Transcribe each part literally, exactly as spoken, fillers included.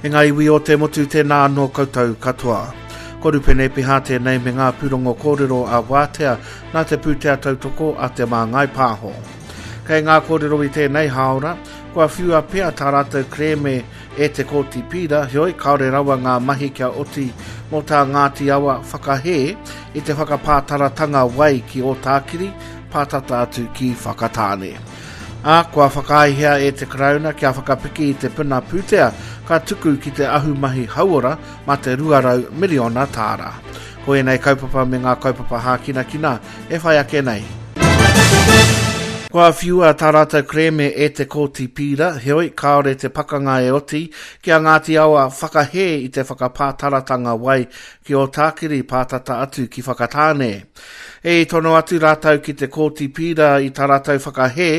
E ngā iwi o te motu tēnā anō koutou katoa. Ko Rupene Piha tēnei me ngā pūrongo kōrero a Wātea nā te pūtea tautoko a Te Māngai Pāho. Kei ngā kōrero i tēnei hāora, kua whiua pea tā rātou kerēme e te Kōti Pīra, heoi kāore rawa ngā mahi kia oti mō tā Ngāti Awa whakahē i te whakapātaratanga wai ki Ōtākiri, pātata atu ki Whakatāne. Ā, kua whakaaehia e te Karauna kia whakapiki i te puna pūtea ka tuku ki te ahumahi hauora mā te rua rau miriona tāra. Ko ēnei kaupapa me ngā kaupapa hākinakina e whai ake nei. Kua whiua tā rātou kerēme e te Kōti Pīra, heoi kāore te pakanga e oti ki a Ngāti Awa whakahē i te whakapātaratanga wai ki Ōtākiri pātata atu ki Whakatāne. E tono atu rātou ki te Kōti Pīra i tā rātou whakahē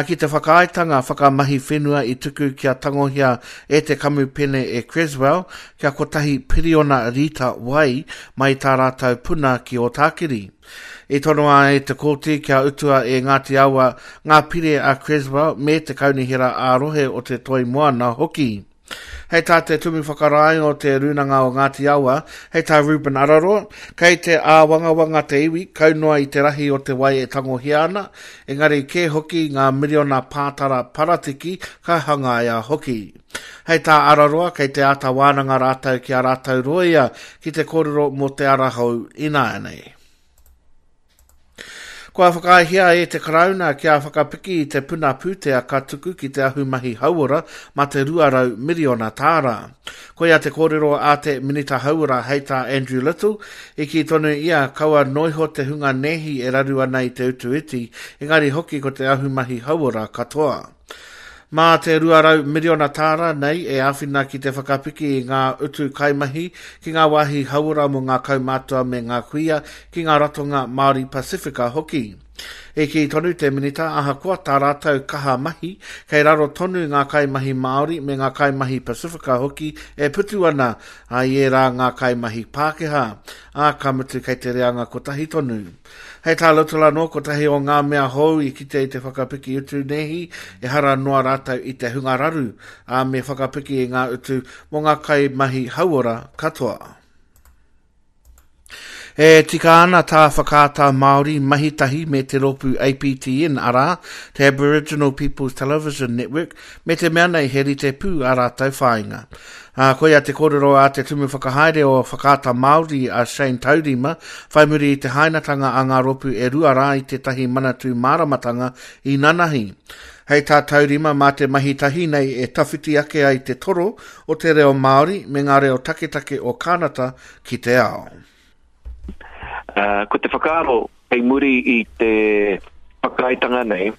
ki te whakaaetanga whakamahi whenua i tuku kia tangohia e te kamupene e Creswell kia kotahi piriona rita wai mai tā rātou puna ki Ōtākiri. I tonoa e te Kōti kia utua e Ngāti Awa ngā pire a Creswell me te kaunihera ā-rohe o te Toi Moana hoki. Hei tā te tumu whakarae o te Rūnanga o Ngāti Awa, hei tā Reuben Araroa, kei te āwangawanga te iwi, kau noa i te rahi o te wai e tangohia ana, engari kē hoki ngā miriona pātara paratiki ka hangaia hoki. Hei tā Araroa, kei te āta wānanga rātou ki a rātou rōia ki te kōrero mō te ara hou ināianei. Kua whakaaehia e te Karauna kia whakapiki i te puna pūtea ka tuku ki te ahumahi hauora mā te rua rau miriona tāra. Koia te kōrero a te Minita Hauora hei tā Andrew Little, i kī tonu ia kaua noiho te hunga nēhi e raru ana i te utu iti, engari hoki ko te ahumahi hauora katoa. Mā te rua rau miriona tāra nei e āwhina ki te whakapiki i ngā utu kaimahi ki ngā wāhi hauora mō ngā kaumātua me ngā kuia ki ngā ratonga Māori Pasifika hoki. E kī tonu te minita ahakoa tā rātou kaha mahi, kei raro tonu ngā kaimahi Māori me ngā kaimahi Pasifika hoki e putu ana a i ērā ngā kaimahi Pākehā, ā, ka mutu kei te reanga kotahi tonu. Hei tā Little anō, kotahi o ngā mea hou i kite i te whakapiki utu nēhi, ehara noa rātou i te hunga raru, ā, me whakapiki i ngā utu mō ngā kaimahi hauora katoa. E tika ana tā Whakaata Māori mahi tahi me te rōpū A P T N, arā, te Aboriginal Peoples Television Network, me te mea nei he rite pū ā rātou whāinga. Ā, koia te kōrero a te tumu whakahaere o Whakaata Māori a Shane Taurima, whai muri i te hainatanga a ngā rōpū e rua rā i tētahi manatū māramatanga i nanahi. Hei tā Taurima mā te mahi tahi nei e tawhiti ake ai te toro o te reo Māori me ngā reo taketake o Kānata ki te ao. Uh, ko te whakaaro kei muri i te whakaaetanga nei,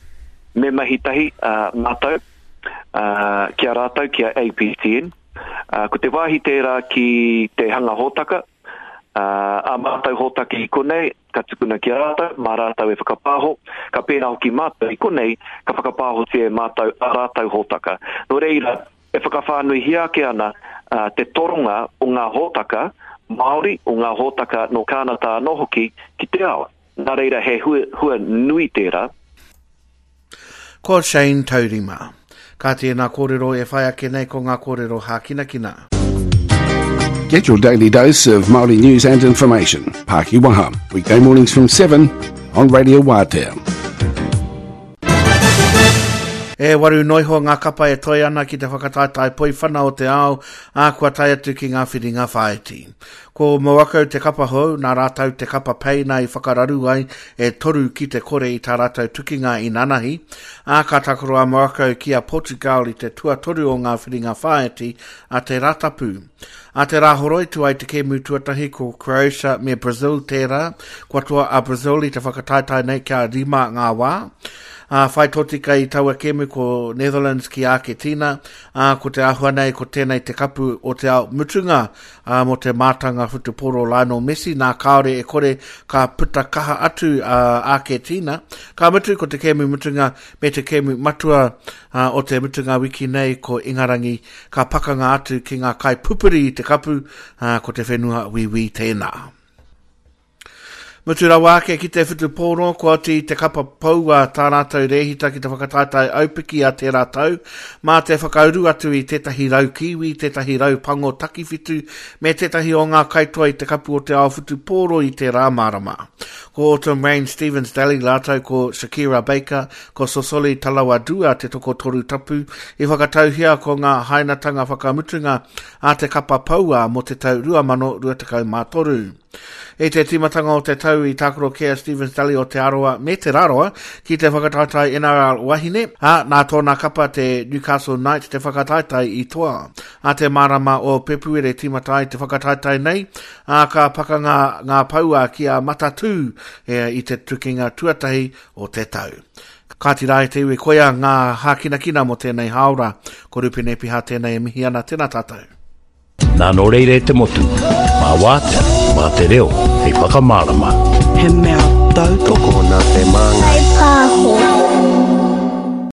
me mahi tahi, uh, mātou, uh, ki a rātou, ki a A P T N. Uh, ko te wāhi tērā ki te hanga hōtaka, uh, a mātou hōtaka i konei, ka tukuna ki a rātou, mā rātou e whakapāho, ka pēnā hoki mātou i konei, ka whakapāhotia e mātou a rātou hōtaka. Nō reira, e whakawhānuihia ake ana uh, te toronga o ngā hōtaka Māori, o ngā hōtaka nō Kānata anō hoki ki te ao. Nā reira he hua, hua nui tērā. Ko Shane Taurima. Ka tēnā kōrero e whai ake nei ko ngā kōrero hākinakina. Get your daily dose of Māori news and information. Pāki Waha, weekday mornings from seven on Radio Wātea. E waru noiho ngā kapa e toi ana ki te whakataetae poiwhana o te ao, ā, kua tae atu ki ngā whiringa whāiti. Ko Morocco te kapa hou, nā rātou te kapa peina i whakararu ai e toru ki te kore i tā rātou tukinga i nanahi, ā, ka takaro a Morocco ki a Portugal i te tuatoru o ngā whiringa whāiti a te Rātapu. A te Rāhoroi tu ai te kēmu tuatahi ko Croatia me Brazil tērā, kua toa a Brazil i te whakataetae nei kia rima ngā wā. Ā, whai tōtika i taua kēmu ko Netherlands ki Argentina, ā, ko te āhua nei ko tēnei te kapu o te ao mutunga, ā, mō te mātanga whutupōro Lionel Messi, nā kāore e kore ka puta kaha atu a Argentina. Ka mutu ko te kēmu mutunga me te kēmu matua, ā, o te mutunga wiki nei ko Ingarangi ka pakanga atu ki ngā kai pupuri i te kapu, ā, ko te whenua wiwi tēnā. Mutu rawa ake ki te whutupōro, kua oti i te kapa poua tā rātou rēhita ki te whakataetae aupiki a tērā tau, mā te whakauru atu i tētahi rau kiwi, tētahi rau pango takiwhitu, me tētahi o ngā kaitoa i te kapu o te ao whutupōro i tērā marama. Ko Autumn Rain Stevens Daly rātou ko Shakira Baker, ko Sosoli Talawadua te tokotoru tapu, i whakatauhia ko ngā hainatanga whakamutunga a te kapa poua mō te tau rua mano rua tekau mā toru. I te tīmatanga o te tau i tākaro kē a Stevens Daly o Te Arawa me Te Rarawa ki te whakataetae N R L wahine, ā, nā tōna kapa te Newcastle Knights te whakataetae i toa. A te marama o Pepuere tīmata ai te whakataetae nei, ā, ka pakanga ngā paua ki a Matatū e, i te tukinga tuatahi o te tau. Kāti rā e te iwi, koia ngā hākinakina mō tēnei hāora. Ko Rupene Piha tēnei e mihi ana, tēnā tātou. Nā nō reira e te motu, mā wātea, mā te reo, hei whakamārama. He mea tautoko nā te māngai. Pāho.